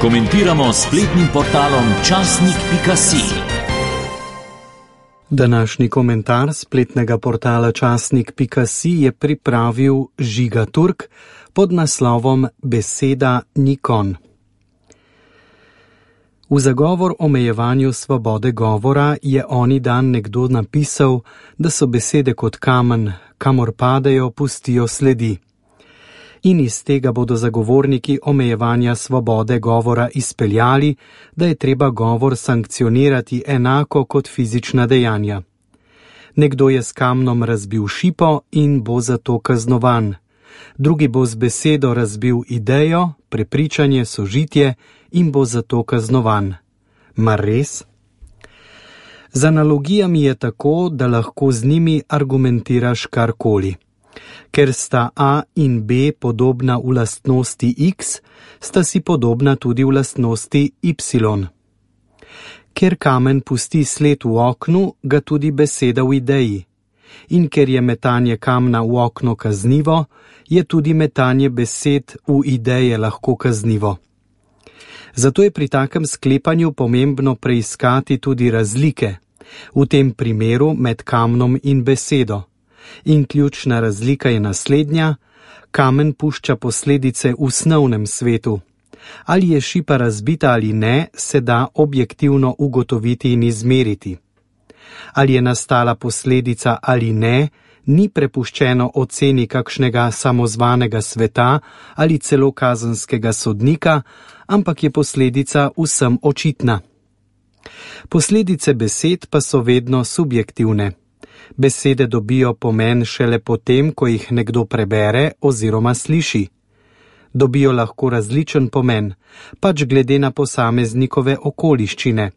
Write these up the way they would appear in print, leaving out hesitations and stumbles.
Komentiramo s spletnim portalom časnik.si. Današnji komentar spletnega portala časnik.si je pripravil Žiga Turk pod naslovom Beseda ni konj. V zagovor omejevanju svobode govora je oni dan nekdo napisal, da so besede kot kamen, kamor padejo, pustijo sledi. In iz tega bodo zagovorniki omejevanja svobode govora izpeljali, da je treba govor sankcionirati enako kot fizična dejanja. Nekdo je s kamnom razbil šipo in bo zato kaznovan. Drugi bo z besedo razbil idejo, prepričanje, sožitje in bo zato kaznovan. Mar res? Z analogijami je tako, da lahko z njimi argumentiraš karkoli. Ker sta A in B podobna v lastnosti X, sta si podobna tudi v lastnosti Y. Ker kamen pusti sled v oknu, ga tudi beseda v ideji. In ker je metanje kamna v okno kaznivo, je tudi metanje besed v ideje lahko kaznivo. Zato je pri takem sklepanju pomembno preiskati tudi razlike, v tem primeru med kamnom in besedo. In ključna razlika je naslednja: kamen pušča posledice v snovnem svetu. Ali je šipa razbita ali ne, se da objektivno ugotoviti in izmeriti. Ali je nastala posledica ali ne, ni prepuščeno oceni kakšnega samozvanega sveta ali celo kazenskega sodnika, ampak je posledica vsem očitna. Posledice besed pa so vedno subjektivne. Besede dobijo pomen šele potem, ko jih nekdo prebere oziroma sliši. Dobijo lahko različen pomen, pač glede na posameznikove okoliščine.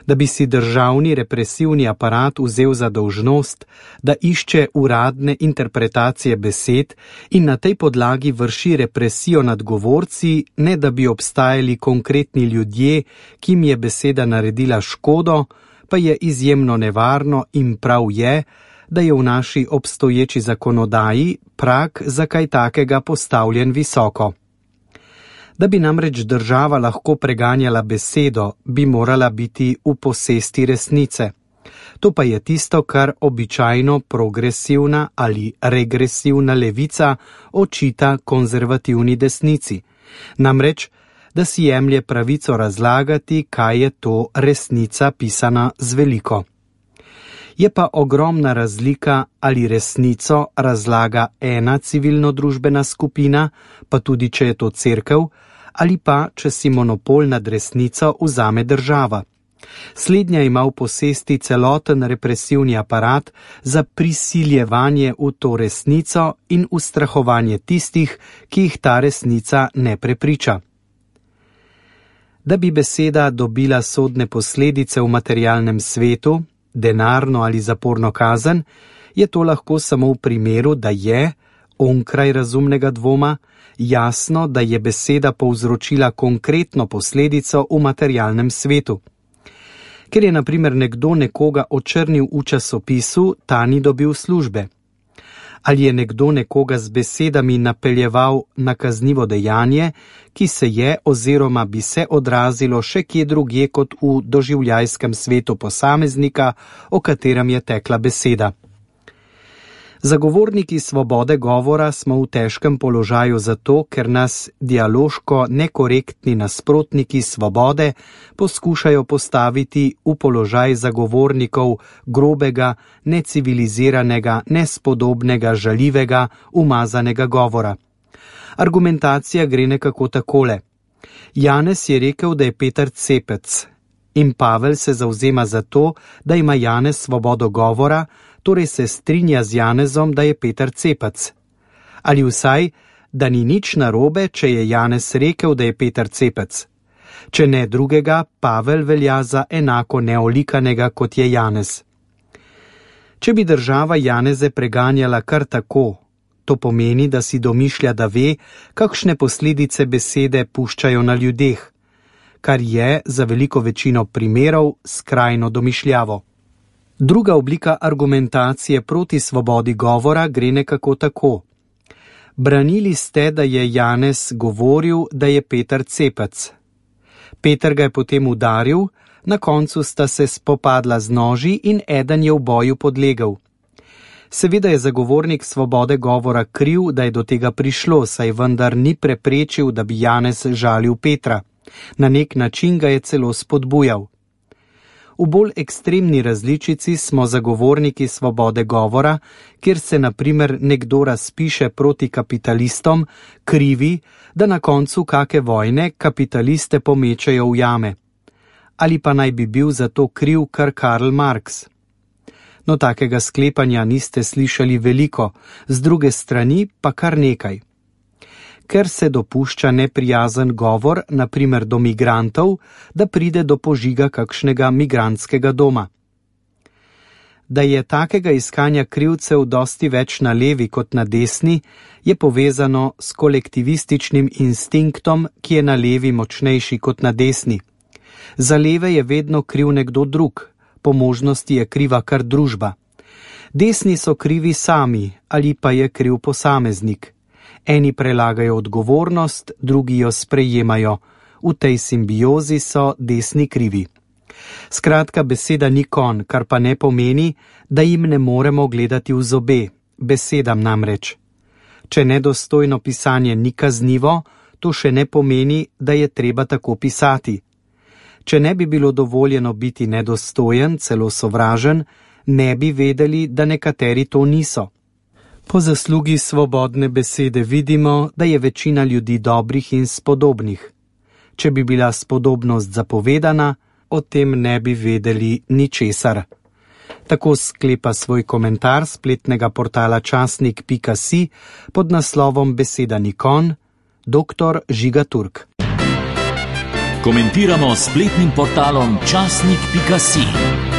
Da bi si državni represivni aparat vzel za dolžnost, da išče uradne interpretacije besed in na tej podlagi vrši represijo nad govorci, ne da bi obstajali konkretni ljudje, ki jim je beseda naredila škodo, pa je izjemno nevarno in prav je, da je v naši obstoječi zakonodaji prag za kaj takega postavljen visoko. Da bi namreč država lahko preganjala besedo, bi morala biti v posesti resnice. To pa je tisto, kar običajno progresivna ali regresivna levica očita konzervativni desnici. Namreč, da si jemlje pravico razlagati, kaj je to resnica pisana z veliko. Je pa ogromna razlika, ali resnico razlaga ena civilno-družbena skupina, pa tudi če je to cerkev, ali pa če si monopol nad resnico vzame država. Slednja ima v posesti celoten represivni aparat za prisiljevanje v to resnico in ustrahovanje tistih, ki jih ta resnica ne prepriča. Da bi beseda dobila sodne posledice v materialnem svetu, denarno ali zaporno kazen, je to lahko samo v primeru, da je, onkraj razumnega dvoma, jasno, da je beseda povzročila konkretno posledico v materialnem svetu. Ker je na primer nekdo nekoga očrnil v časopisu, ta ni dobil službe. Ali je nekdo nekoga z besedami napeljeval na kaznivo dejanje, ki se je oziroma bi se odrazilo še kje drugje kot v doživljajskem svetu posameznika, o katerem je tekla beseda. Zagovorniki svobode govora smo v težkem položaju zato, ker nas dialoško nekorektni nasprotniki svobode poskušajo postaviti v položaj zagovornikov grobega, neciviliziranega, nespodobnega, žaljivega, umazanega govora. Argumentacija gre nekako takole. Janez je rekel, da je Peter cepec, in Pavel se zavzema za to, da ima Janez svobodo govora, torej se strinja z Janezom, da je Peter cepec. Ali vsaj, da ni nič narobe, če je Janez rekel, da je Peter cepec. Če ne drugega, Pavel velja za enako neolikanega, kot je Janez. Če bi država Janeze preganjala kar tako, to pomeni, da si domišlja, da ve, kakšne posledice besede puščajo na ljudeh, kar je za veliko večino primerov skrajno domišljavo. Druga oblika argumentacije proti svobodi govora gre nekako tako. Branili ste, da je Janez govoril, da je Peter cepec. Peter ga je potem udaril, na koncu sta se spopadla z noži in eden je v boju podlegel. Seveda je zagovornik svobode govora kriv, da je do tega prišlo, saj vendar ni preprečil, da bi Janez žalil Petra. Na nek način ga je celo spodbujal. V bolj ekstremni različici smo zagovorniki svobode govora, kjer se na primer nekdo razpiše proti kapitalistom, krivi, da na koncu kake vojne kapitaliste pomečejo v jame. Ali pa naj bi bil za to kriv kar Karl Marx. No, takega sklepanja niste slišali veliko, z druge strani pa kar nekaj. Ker se dopušča neprijazen govor, na primer do migrantov, da pride do požiga kakšnega migrantskega doma. Da je takega iskanja krivcev dosti več na levi kot na desni, je povezano s kolektivističnim instinktom, ki je na levi močnejši kot na desni. Za leve je vedno kriv nekdo drug, po možnosti je kriva kar družba. Desni so krivi sami ali pa je kriv posameznik. Eni prelagajo odgovornost, drugi jo sprejemajo. V tej simbiozi so desni krivi. Skratka, beseda ni konj, kar pa ne pomeni, da jim ne moremo gledati v zobe, besedam namreč. Če nedostojno pisanje ni kaznivo, to še ne pomeni, da je treba tako pisati. Če ne bi bilo dovoljeno biti nedostojen, celo sovražen, ne bi vedeli, da nekateri to niso. Po zaslugi svobodne besede vidimo, da je večina ljudi dobrih in spodobnih. Če bi bila spodobnost zapovedana, o tem ne bi vedeli ničesar. Tako sklepa svoj komentar spletnega portala časnik.si pod naslovom Beseda ni konj, dr. Žiga Turk. Komentiramo spletnim portalom časnik.si.